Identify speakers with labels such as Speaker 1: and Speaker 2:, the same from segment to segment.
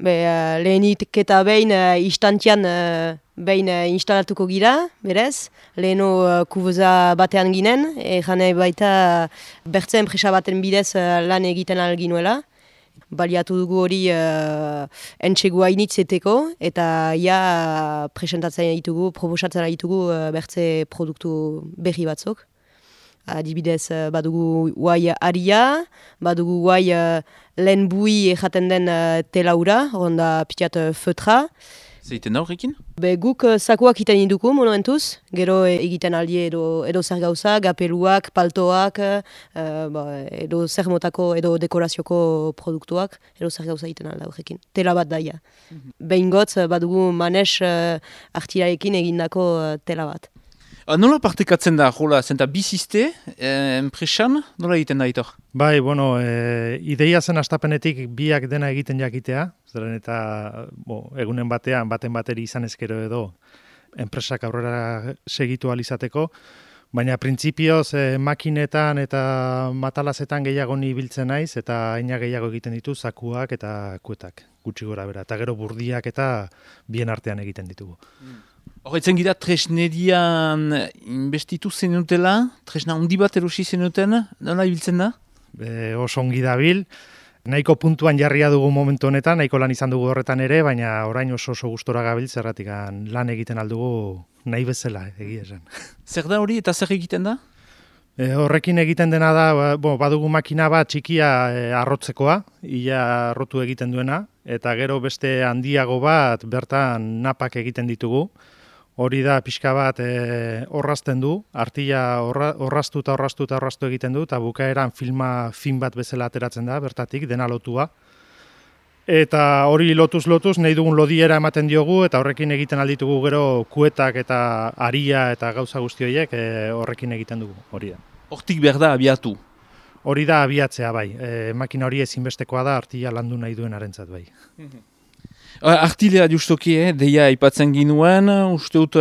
Speaker 1: Lehenik eta behin instantian behin instalatuko gira, berez. Leheno kubeza batean ginen, jane baita bertze enpresa baten bidez lan egiten alginuela. Baliatu dugu hori entxegua initzeteko eta presentatzen ditugu, proposatzen ditugu bertze produktu berri batzuk. Adibidez, badugu guai aria, badugu guai lehen bui jaten den telaura, onda pitiat feutra.
Speaker 2: Zeiten da horrekin?
Speaker 1: Guk sakuak iten induku monumentuz, gero egiten aldi edo zer gauza, gapeluak, paltoak, edo zer motako edo dekorazioko produktuak, edo zer gauza egiten alda horrekin. Tela bat daia. Behin badugu manes artirarekin egindako tela bat.
Speaker 2: Nola partekatzen da, jola, zenta bizizte, enpresan, nola egiten da itor?
Speaker 3: Bai, ideia zen astapenetik biak dena egiten jakitea, zeren eta egunen batean, baten bateri izan ezkero edo enpresak aurrera segitu alizateko, baina printzipioz makinetan eta matalazetan gehiago ni biltzen naiz, eta aina gehiago egiten ditu zakuak eta kuetak, gutxi gora bera, eta gero burdiak eta bien artean egiten ditugu.
Speaker 2: Horretzen gira tresnerian investitu zenutela, tresna handi bat erosi zenuten, nola ibiltzen da?
Speaker 3: Oso ongi dabil, nahiko puntuan jarria dugu momentu honetan, nahiko lan izan dugu horretan ere, baina orain oso gustora gabil zerratik lan egiten aldugu nahi bezala, egia esan.
Speaker 2: Zer da hori eta zer egiten da?
Speaker 3: Horrekin egiten dena da, badugu makina bat txikia arrotzekoa, ia arrotu egiten duena, eta gero beste handiago bat bertan napak egiten ditugu. Hori da pixka bat orrazten du, artila orraztu egiten du, eta bukaeran film bat bezala ateratzen da, bertatik, dena lotua. Eta hori lotuz nahi dugun lodiera ematen diogu, eta horrekin egiten alditugu gero kuetak eta aria eta gauza guzti horiek horrekin egiten dugu, hori da.
Speaker 2: Hortik behar da abiatu?
Speaker 3: Hori da abiatzea bai, makina hori ezinbestekoa da artila landu nahi duen arentzat bai.
Speaker 2: Artilea justoki, deia aipatzen ginuen, uste dut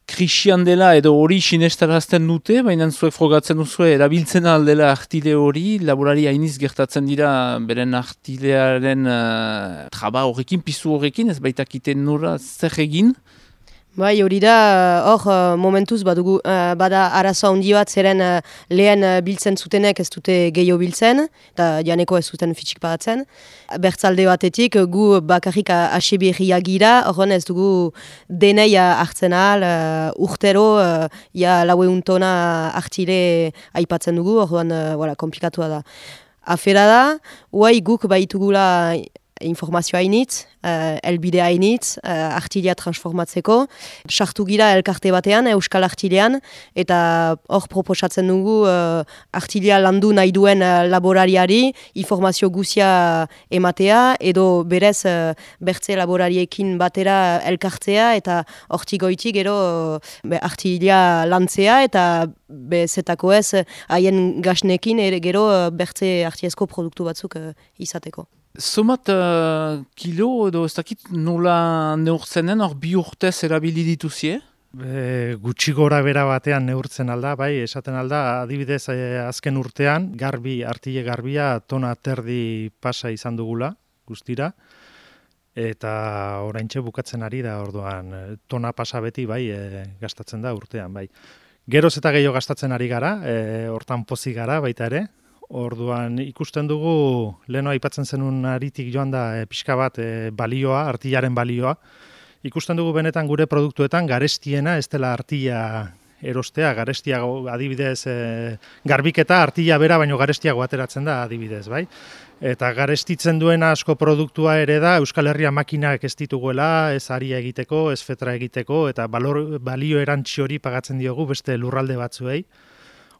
Speaker 2: krisian dela edo hori sinestarazten dute, baina zuek frogatzen duzu erabiltzen aldela artile hori, laborari hainiz gertatzen dira beren artilearen traba horrekin, pizu horrekin, ez baitakiten nora zer egin?
Speaker 1: Bai, hori da, momentuz bada arazo handi bat zeren lehen biltzen zutenek ez dute gehiago biltzen, eta janeko ez zuten fitxik paratzen. Bertzalde batetik, gu bakarrik asebirria gira, horren ez dugu denei hartzen ahal, urtero, laueun tona artile aipatzen dugu, horren komplikatua da. Afera da, huai guk baitugula informazioa hainitz, elbidea hainitz, artilea transformatzeko. Sartu gira elkarte batean, Euskal Artilean, eta hor proposatzen dugu artilea landu nahi duen laborariari informazio guzia ematea, edo berez bertze laborariekin batera elkartzea, eta hortik goitik gero artilea lantzea, eta bezetako ez haien gasnekin gero bertze artiezko produktu batzuk izateko.
Speaker 2: Somat kilo edo ez dakit nola neurtzenen hor bi urtez erabili dituzie?
Speaker 3: Gutxi gora bera batean neurtzen alda, bai, esaten alda, adibidez azken urtean, artile garbia tona terdi pasa izan dugula, guztira, eta oraintxe bukatzen ari da, orduan, tona pasa beti, bai, gastatzen da urtean, bai. Geroz eta gehiago gastatzen ari gara, hortan pozik gara baita ere, orduan ikusten dugu, leheno aipatzen zenun aritik joan da pixka bat balioa, artilaren balioa. Ikusten dugu benetan gure produktuetan garestiena ez dela artila erostea, garestia adibidez garbiketa artila bera baino garestiago ateratzen da adibidez, bai? Eta garestitzen duena asko produktua ere da Euskal Herria makinak ez dituguela, ez aria egiteko, ez fetra egiteko, eta balio erantzi hori pagatzen diogu beste lurralde batzuei.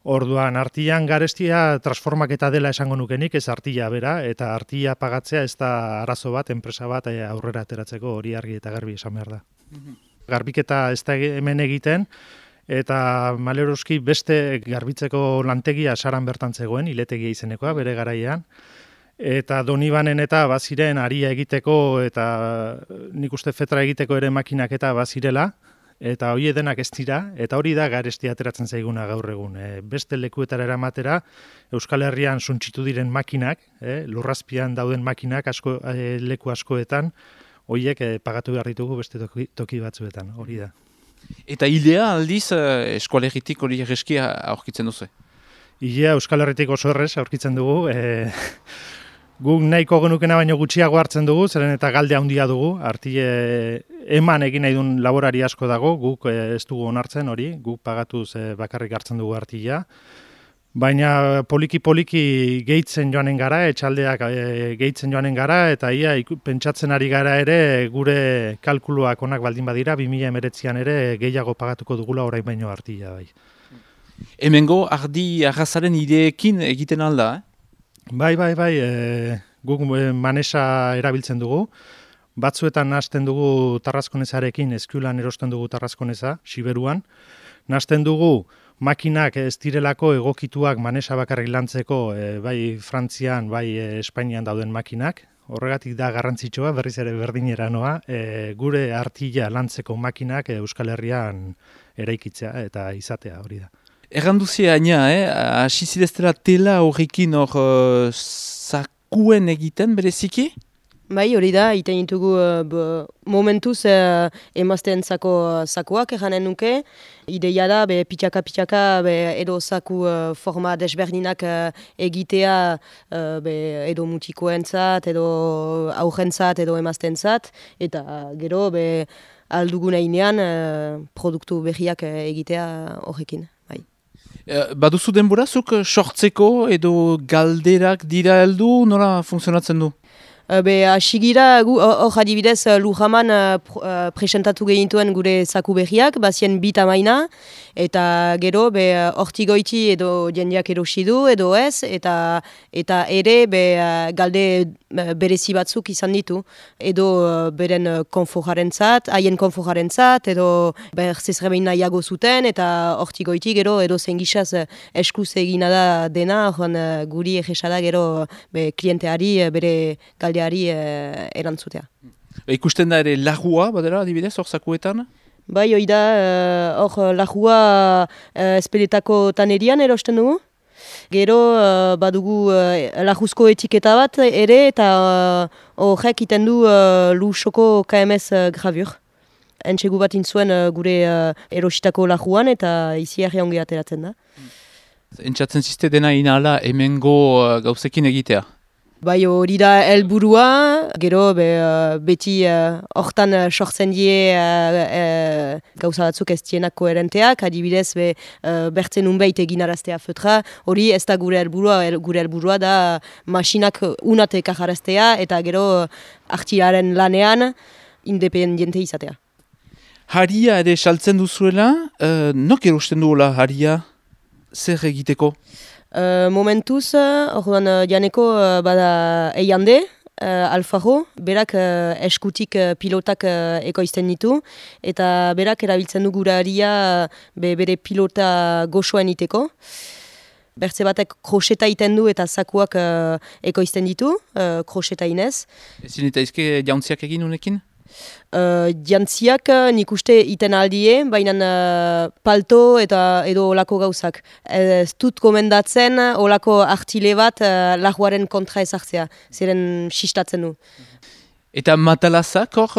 Speaker 3: Orduan, artilan garestia transformaketa dela esango nukenik, ez artila bera, eta artila pagatzea ez da arazo bat, enpresa bat aurrera ateratzeko hori argi eta garbi esan behar da. Garbiketa ez da hemen egiten, eta maleroski beste garbitzeko lantegia saran bertan zegoen, iletegia izenekoa, bere garaian, eta Donibanen eta baziren aria egiteko, eta nik uste fetra egiteko ere makinak eta bazirela, eta hori denak ez dira, eta hori da garestia ateratzen zaiguna gaur egun. Beste lekuetara eramatera, Euskal Herrian suntsitu diren makinak, lurrazpian dauden makinak leku askoetan, horiek pagatu behar ditugu beste toki batzuetan, hori da.
Speaker 2: Eta hilea aldiz eskualeritik hori erreskia aurkitzen duzu?
Speaker 3: Hilea Euskal Herritik oso errez aurkitzen dugu, guk nahiko genukena baino gutxiago hartzen dugu, zeren eta galde handia dugu, artile eman egin nahi duen laborari asko dago, guk ez dugu onartzen hori, guk pagatuz bakarrik hartzen dugu artilea, baina poliki-poliki gehitzen joanen gara, etxaldeak gehitzen joanen gara, eta ia pentsatzen ari gara ere gure kalkuluak onak baldin badira, 2019an ere gehiago pagatuko dugula orain baino artilea bai.
Speaker 2: Hemengo ardi arrazaren ideekin egiten alda,
Speaker 3: Bai, guk manesa erabiltzen dugu. Batzuetan nahasten dugu tarrazkonezarekin, eskulan erosten dugu tarrazkoneza, Siberuan. Nahasten dugu makinak ez direlako egokituak manesa bakarrik lantzeko, bai Frantzian, bai Espainian dauden makinak. Horregatik da garrantzitsua, berriz ere berdinera noa, gure artila lantzeko makinak Euskal Herrian eraikitzea eta izatea hori da.
Speaker 2: Erranduzia aina, hasi zideztela tela horrekin sakuen egiten bereziki?
Speaker 1: Bai, hori da, iten ditugu momentuz emazteentzako sakuak eranen nuke. Ideia da, pitxaka, edo saku forma desberdinak egitea edo mutikoentzat, edo aurrentzat, edo emazteentzat, eta gero alduguneinean produktu berriak egitea horrekin.
Speaker 2: Baduzu denborazuk sortzeko edo galderak dira heldu, nola funtzionatzen du?
Speaker 1: Asigira, hor adibidez Lujaman presentatu gehintuen gure zaku berriak, bazien bit amaina, eta gero hortigoiti edo jendeak erosi du edo ez, eta ere galde berezi batzuk izan ditu, edo beren konfojarentzat, haien konfojarentzat, edo zezrebein nahiago zuten, eta hortigoiti gero edo zengisaz eskuz egina da dena, guri egesada gero klienteari bere galdeari erantzutea.
Speaker 2: Ikusten da ere lagua, badera, adibidez, hor zakuetan?
Speaker 1: Bai, hoi da, hor lagua espeletako tanerian erosten dugu. Gero badugu laguzko etiketa bat ere, eta horrek iten du lusoko KMS gravur. Entxegu bat intzuen gure erositako laguan, eta izi arre ongi ateratzen da.
Speaker 2: Entxatzen ziste dena inala hemengo gauzekin egitea?
Speaker 1: Bai, hori da helburua, gero beti hortan sortzen die gauza batzuk ez dienak koherenteak, adibidez bertzen unbeit egin araztea fötra, hori ez da gure helburua da masinak unatek ajaraztea eta gero artilaren lanean independiente izatea.
Speaker 2: Haria ere saltzen duzuela, nok erosten duela haria, zer egiteko?
Speaker 1: Momentuz, orduan janeko bada Eiande, Alfaro, berak eskutik pilotak ekoizten ditu, eta berak erabiltzen du gura haria bere pilota goxoen iteko. Bertze batek kroseta iten du eta zakuak ekoizten ditu, kroseta inez.
Speaker 2: Ezin eta izke jauntziak egin unekin?
Speaker 1: Jantziak nik uste iten aldie, baina palto eta edo olako gauzak. Ez dut komendatzen olako artile bat laguaren kontra ezartzea, ziren sistatzen du.
Speaker 2: Eta matalazak hor,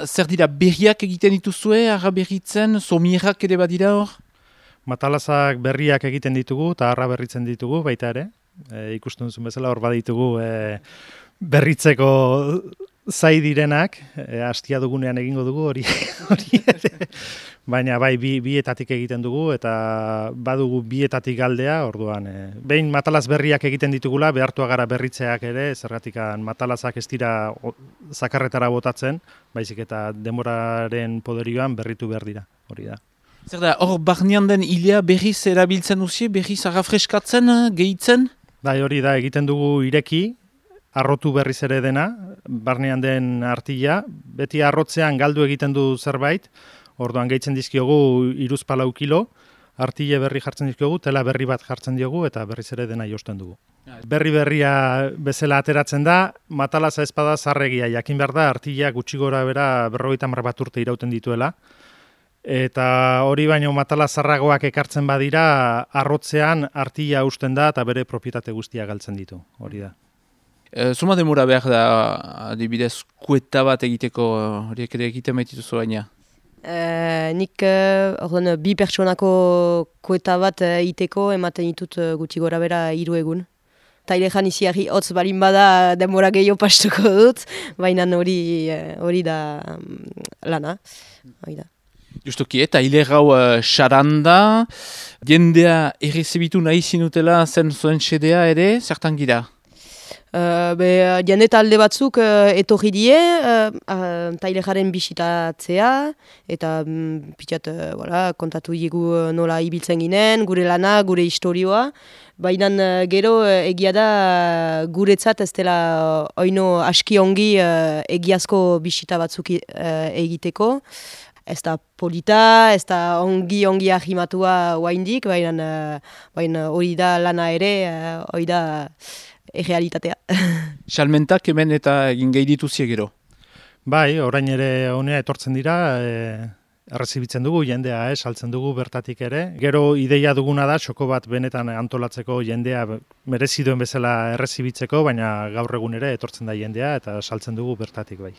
Speaker 2: zer dira berriak egiten dituzue, arra berritzen, somierak ere badira hor?
Speaker 3: Matalazak berriak egiten ditugu eta arra berritzen ditugu baita ere. Ikusten duzun bezala hor baditugu berritzeko zai direnak, hastia dugunean egingo dugu hori baina bai bietatik egiten dugu eta badugu bietatik galdea, orduan behin matalaz berriak egiten ditugula, behartua gara berritzeak ere, zergatikan matalazak ez dira zakarretara botatzen, baizik eta denboraren poderioan berritu behar dira, hori da.
Speaker 2: Zer da, hor barnean den hilea berriz erabiltzen duzie, berriz arrafreskatzen, gehitzen?
Speaker 3: Bai, hori da, egiten dugu ireki, arrotu berriz ere dena, barnean den artila, beti arrotzean galdu egiten du zerbait, orduan gehitzen dizkiogu 3-4 kilo, artile berri jartzen dizkiogu, tela berri bat jartzen diogu eta berriz ere dena josten dugu. Berria bezala ateratzen da, matalaza ezpada zarregia, jakin behar da, artilea gutxi gora bera 50 bat urte irauten dituela, Eta hori baino matala zarragoak ekartzen badira, arrotzean artila usten da eta bere propietate guztia galtzen ditu, hori da.
Speaker 2: Zuma demora behar da, adibidez, kueta bat egiteko, horiek ere egiten baitituzu baina?
Speaker 1: Nik bi pertsonako kueta bat iteko ematen ditut gutxi gora bera 3 egun. Tailejan iziarri hotz balin bada denbora gehiago pastuko dut, baina hori da lana.
Speaker 2: Justuki, eta ilegau xaranda, jendea errezibitu nahi zinutela zen zuen xedea ere, zertan gira?
Speaker 1: Jende talde batzuk etorri die, tailejaren bisitatzea, eta pitxat kontatu digu nola ibiltzen ginen, gure lana, gure historioa. Baina gero egia da guretzat ez dela oino aski ongi egiazko bisita batzuk egiteko. Ez da polita, ez da ongi ahimatua oaindik, baina hori da lana ere, hori da errealitatea.
Speaker 2: Salmentak hemen eta egin gehi dituzie gero?
Speaker 3: Bai, orain ere honea etortzen dira, errezibitzen dugu jendea, saltzen dugu bertatik ere. Gero ideia duguna da, txoko bat benetan antolatzeko jendea merezi duen bezala errezibitzeko, baina gaur egun ere etortzen da jendea eta saltzen dugu bertatik bai.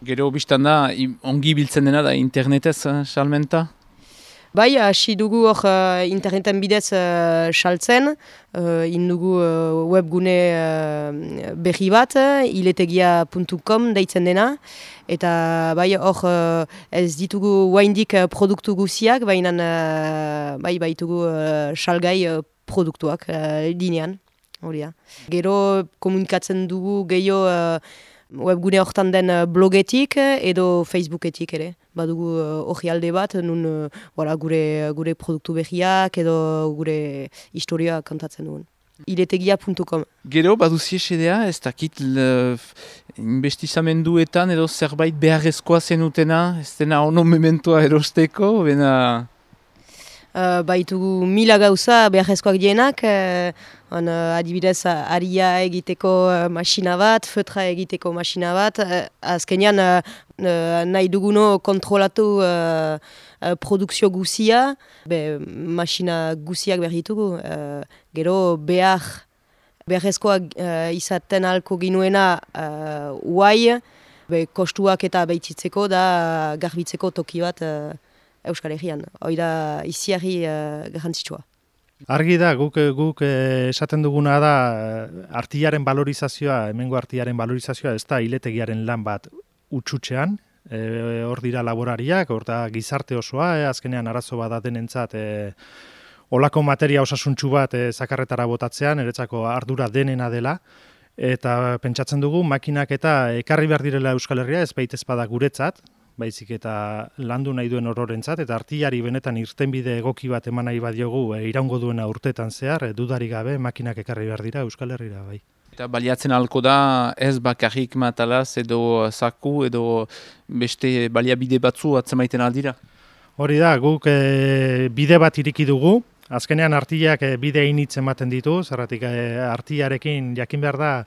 Speaker 2: Gero biztan da, ongi biltzen dena da internetez salmenta?
Speaker 1: Bai, hasi dugu hor interneten bidez saltzen, indugu webgune berri bat, iletegia.com deitzen dena, eta bai hor ez ditugu oaindik produktu guziak, baina bai baitugu salgai produktuak linean, hori da. Gero komunikatzen dugu gehiago webgune hortan den blogetik edo Facebooketik ere. Badugu hori alde bat, nun gure produktu berriak edo gure historia kantatzen duen. iletegia.com.
Speaker 2: Gero, baduzie xedea, ez dakit investizamenduetan edo zerbait beharrezkoa zenutena, ez dena ono mementoa erosteko, bena...
Speaker 1: Baitugu 1000 gauza beharrezkoak dienak, adibidez aria egiteko masina bat, feutra egiteko masina bat, azkenean nahi duguno kontrolatu produkzio guzia, masina guziak behar ditugu, gero beharrezkoak izaten alko ginuena uai, kostuak eta behitzitzeko da garbitzeko toki bat Euskal Herrian, hori da iziarri garrantzitsua.
Speaker 3: Argi da, guk esaten duguna da artilaren valorizazioa, hemengo artilaren valorizazioa, ez da iletegiaren lan bat utxutxean, hor dira laborariak, hor da gizarte osoa, azkenean arazo bat denentzat olako materia osasuntsu bat zakarretara botatzean, eretzako ardura denena dela, eta pentsatzen dugu makinak eta ekarri behar direla Euskal Herria, ez baita ezpada guretzat, baizik eta landu nahi duen ororentzat, eta artillari benetan irtenbide egoki bat eman nahi badiogu iraungo duena urtetan zehar, dudarik gabe makinak ekarri behar dira Euskal Herrira bai.
Speaker 2: Eta baliatzen halko da ez bakarrik matalaz edo zaku edo beste baliabide batzu atzemaiten aldira?
Speaker 3: Hori da, guk bide bat iriki dugu, azkenean artillak bide initz ematen ditu, zerratik artillarekin jakin behar da,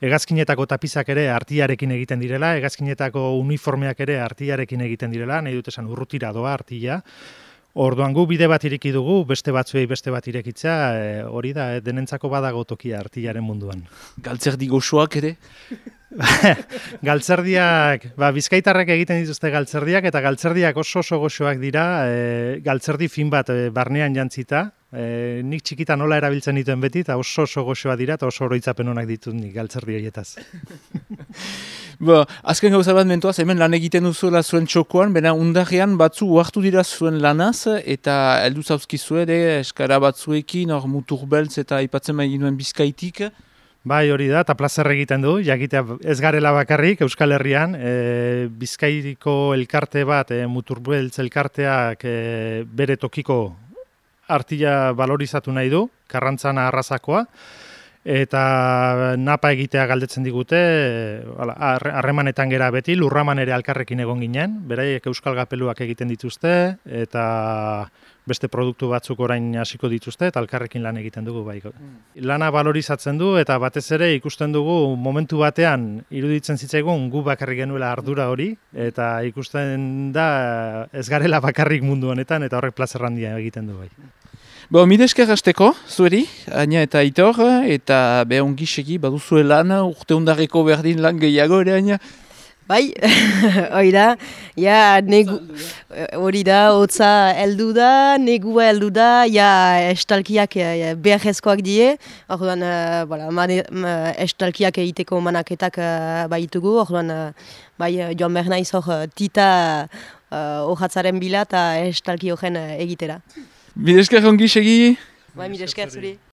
Speaker 3: hegazkinetako tapizak ere artillarekin egiten direla, hegazkinetako uniformeak ere artillarekin egiten direla, nahi dut esan urrutira doa artilla. Orduan gu bide bat iriki dugu, beste batzuei beste bat irekitzea, hori da, denentzako badago tokia artillaren munduan.
Speaker 2: Galtzerdi goxoak ere?
Speaker 3: Galtzerdiak, bizkaitarrek egiten dituzte galtzerdiak, eta galtzerdiak oso goxoak dira, galtzerdi fin bat barnean jantzita, nik txikitan nola erabiltzen dituen beti, eta oso goxoa dira, eta oso oroitzapen honak ditut nik galtzerdi horietaz.
Speaker 2: Azken gauza bat mentoaz, hemen lan egiten duzuela zuen txokoan, bena undarrean batzu uartu dira zuen lanaz, eta heldu zauzkizu ere, eskara batzuekin, hor mutur beltz eta aipatzen bai ginuen Bizkaitik.
Speaker 3: Bai, hori da, eta plazer egiten du, jakitea ez garela bakarrik Euskal Herrian, Bizkaiko elkarte bat, muturbeltz elkarteak bere tokiko artilla valorizatu nahi du, Karrantzana arrazakoa, eta napa egitea galdetzen digute, harremanetan gera beti, Lurraman ere alkarrekin egon ginen, beraiek euskal gapeluak egiten dituzte, eta beste produktu batzuk orain hasiko dituzte eta elkarrekin lan egiten dugu bai. Lana valorizatzen du eta batez ere ikusten dugu momentu batean iruditzen zitzaigun gu bakarrik genuela ardura hori eta ikusten da ez garela bakarrik mundu honetan eta horrek plazer handia egiten du bai.
Speaker 2: Mila esker hasteko, zueri, Aina eta Aitor, eta ongi segi baduzue lan, urte undarreko berdin lan gehiago ere, Aina?
Speaker 1: Bai, hori da, hori da, hotza heldu da, negua heldu da, estalkiak beharrezkoak die, orduan, estalkiak egiteko manaketak baitugu, orduan, joan behar naiz hor tita hojatzaren bila eta estalki horren egitera.
Speaker 2: Mila esker ongi segi?
Speaker 1: Mila esker zuri.